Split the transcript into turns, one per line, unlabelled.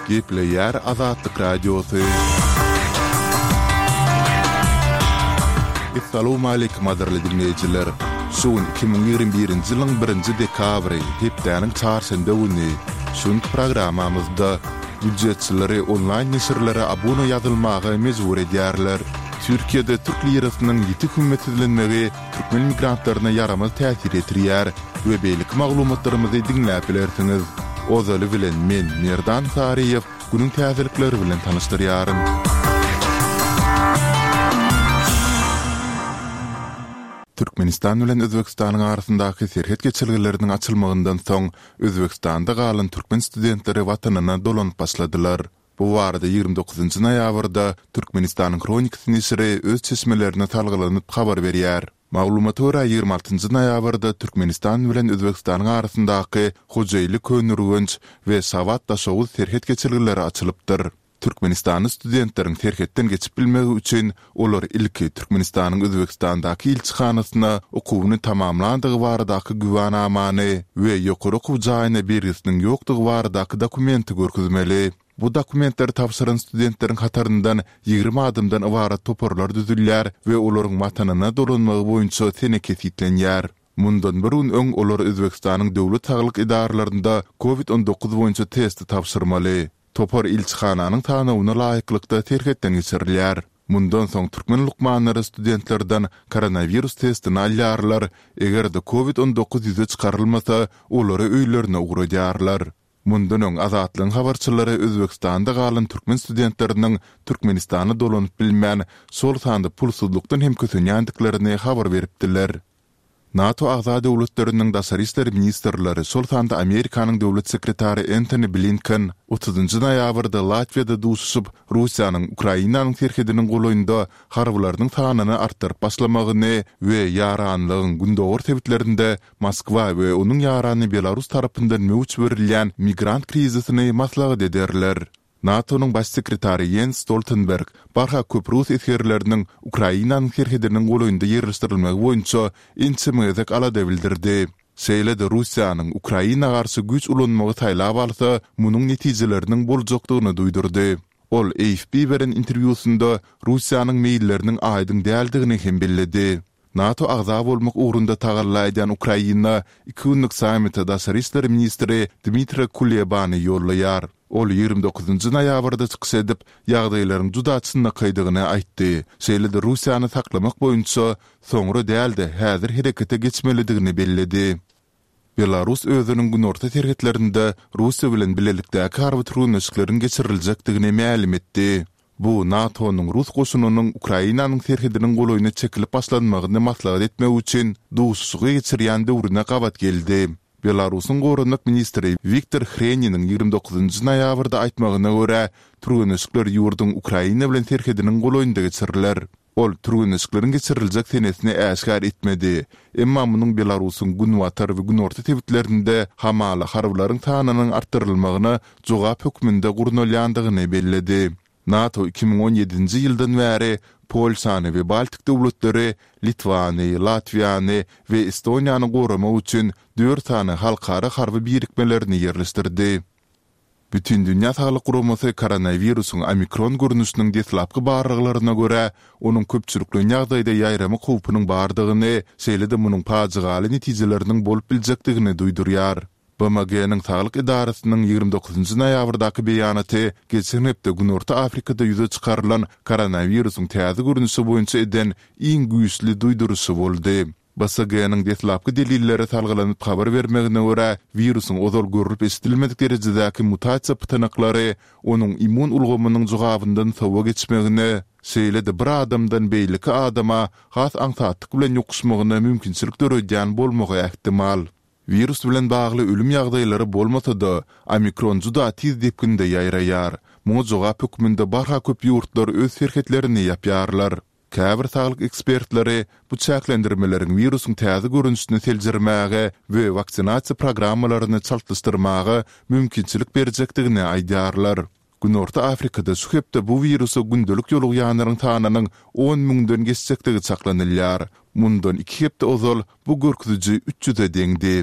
Gepleýär Azatlyk Radiosy. Essalawmaleýkim gadyrly diňleýjiler! Şu gün 2021-nji ýylyň birinji dekabry, hepdäniň çarşenbe güni. Şu günki programmamyzda býudjetçileri onlaýn neşirlere abuna ýazylmaga mejbur edýärler. Türkiýede türk lirasynyň ýiti hümmetsizlenmegi türkmen migrantlaryna ýaramaz täsir ýetirýär we beýleki maglumatlarymyzy diňläp bilersiňiz. Ozaly bilen men, Merdan Saryýew, günüň täzelikleri bilen tanyşdyrýaryn. Türkmenistan bilen Özbegistanyň arasyndaky serhet geçelgeleriniň açylmagyndan soň, Özbegistanda galan türkmen studentleri watanyna dolanyp başladylar. Bu barada 29 noýabrda Türkmenistanyň Hronikasy neşiri öz çeşmelerine salgylanyp habar berýär. Maglumata görä, 26 noýabrda Türkmenistan bilen Özbegistanyň arasyndaky Hojaili-Köneürgenç we Şabat-Daşoguz serhet geçelgeleri açylypdyr. Türkmenistanly studentleriň serhetden geçip bilmegi üçin olar ilki Türkmenistanyň Özbegistandaky ilçihanasyna okuwyny tamamlandygy baradaky güwänamany we ýokary okuw jaýyna bergisiniň ýokdugy baradaky dokumenti görkezmeli. Bu dokumentleri tabşyran studentleriň hataryndan 20 adamdan ybarat toparlar düzülýär we olaryň Watanyna dolanmagy boýunça sene kesgitlenýär. Mundan bir gün öň olar Özbegistanyň döwlet saglyk edaralarynda Covid 19 boýunça testi tabşyrmaly. Topar ilçihananyň sanawyna laýyklykda serhetden geçirilýär. Mundan soň türkmen lukmanlary studentlerden koronawirus testini alýarlar, eger-de covid 19 ýüze çykarylmasa, olary öýlerine ugradýarlar. Mundan öň Azatlygyň habarçylary Özbegistanda galan türkmen studentleriniň Türkmenistana dolanyp bilmän, şol sanda pulsuzlykdan hem kösenýändiklerini habar beripdiler. NATO agza döwletleriniň daşary işler ministrleri, şol sanda Amerikanyň döwlet sekretary Entoni Blinken otuzynjy noýabrda Latwiýada duşuşyp, Russiýanyň Ukrainanyň serhediniň golaýynda harbylarynyň sanyny artdyryp başlamagyny we ýaranlygyň gündogar sebitlerinde Moskwa we onuň ýarany Belarus tarapyndan möwç berilýän migrant krizisini maslahat ederler. NATO-nyň Baş sekretary Ýens Stoltenberg barha köp rus esgerleriniň Ukrainanyň serhediniň golaýynda ýerleşdirilmegi boýunça ençeme gezek alada bildirdi. Şeýle-de Russiýanyň Ukraina garşy güýç ulanmagy saýlap alsa, munuň netijeleriniň boljakdygyny duýdurdy. Ol AFP beren interwýusynda Russiýanyň meýilleriniň aýdyň däldigini hem belledi. NATO agza bolmak ugrunda tagalla edýän Ukraina iki günlük sammite daşary işler ministri Dmitra Kulebany ýollaýar. Ol 29 noýabrda çykyş edip, ýagdaýlaryň juda çynlakaýdygyny aýtdy, şeýle-de Russiýany saklamak boýunça soňra däl-de, häzir herekete geçmelidigini belledi. Belarus özüniň günorta serhetlerinde Russiýa bilen bilelikdäki harby türgenleşikleriň geçiriljekdigini mälim etdi. Bu NATO-nyň rus goşunynyň Ukrainanyň serhediniň golaýyna çekilip başlanmagyny maslahat etmek üçin duşuşygy geçirýän döwrüne gabat geldi. Belarusyň goranmak ministri Wiktor Hreniniň 29 noýabrda aýtmagyna görä, türgenleşikler ýurduň Ukraina bilen serhediniň golaýynda geçiriler. Ol türgenleşikleriň geçiriljek senesini äşgär etmedi, emma munuň Belarusyň günbatar we günorta sebitlerinde hamala harbylaryň sanynyň artdyrylmagyna jogap hökmünde gurnalýandygyny belledi. NATO 2017-nji ýyldan bäri Polşany we Baltik döwletleri, Litwany, Latwiýany we Estoniýany goramak üçin dört sany halkara harby birikmelerini ýerleşdirdi. Bütindünýä Saglyk Guramasy koronawirusyň omikron görnüşiniň deslapky barlaglaryna görä, onuň köpçülikleýin ýagdaýda ýaýramak howpunyň bardygyny, şeýle-de munuň pajygaly netijeleriniň bolup biljekdigini duýdurýar. BMG-niň Saglyk edarasynyň 29 noýabrdaky beýanaty geçen hepde Günorta Afrikada ýüze çykarylan koronawirusyň täze görnüşi boýunça eden iň güýçli duýduryşy boldy. BSG-niň deslapky delillere salgylanyp habar bermegine görä, wirusyň ozal görlüp-eşidilmedik derejedäki mutasiýa pytanaklary onuň immun ulgamynyň jogabyndan sowa geçmegine, şeýle-de bir adamdan beýleki adama has aňsatlyk bilen ýokuşmagyna mümkinçilik döredýän bolmagy ähtimal. Wirus bilen bagly ölüm ýagdaýlary bolmasa-da, omikron juda tiz depginde ýaýraýar. Muňa jogap hökmünde barha köp ýurtlar öz serhetlerini ýapýarlar. Käbir saglyk ekspertleri bu çäklendirmeleriň wirusyň täze görnüşini seljermäge we waksinasiýa programmalaryny çaltlaşdyrmaga mümkinçilik berjekdigini aýdýarlar. Günorta Afrikada şu hepde bu wirusa gündelik ýolugýanlaryň sanynyň on müňden geçjekdigi çaklanylýar. Mundan iki hepde ozal bu görkeziji üç ýüze deňdi.